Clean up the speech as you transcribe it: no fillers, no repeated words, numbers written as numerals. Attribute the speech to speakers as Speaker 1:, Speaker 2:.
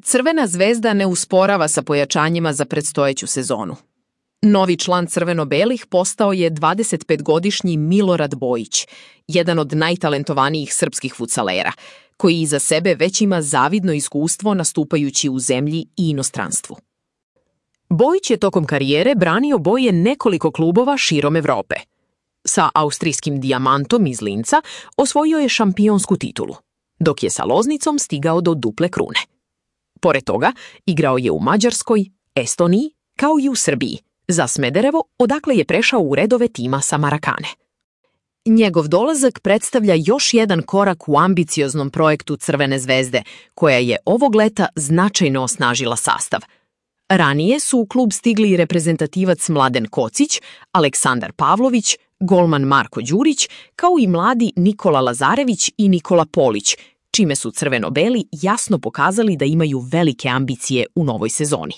Speaker 1: Crvena zvezda ne usporava sa pojačanjima za predstojeću sezonu. Novi član crveno-belih postao je 25-godišnji Milorad Bojić, jedan od najtalentovanijih srpskih fudsalera, koji iza sebe već ima zavidno iskustvo nastupajući u zemlji i inostranstvu. Bojić je tokom karijere branio boje nekoliko klubova širom Evrope. Sa austrijskim Dijamantom iz Linca osvojio je šampionsku titulu, dok je sa Loznicom stigao do duple krune. Pored toga, igrao je u Mađarskoj, Estoniji, kao i u Srbiji, za Smederevo, odakle je prešao u redove tima sa Marakane. Njegov dolazak predstavlja još jedan korak u ambicioznom projektu Crvene zvezde, koja je ovog leta značajno osnažila sastav. Ranije su u klub stigli reprezentativac Mladen Kocić, Aleksandar Pavlović, golman Marko Đurić, kao i mladi Nikola Lazarević i Nikola Polić, čime su crveno-beli jasno pokazali da imaju velike ambicije u novoj sezoni.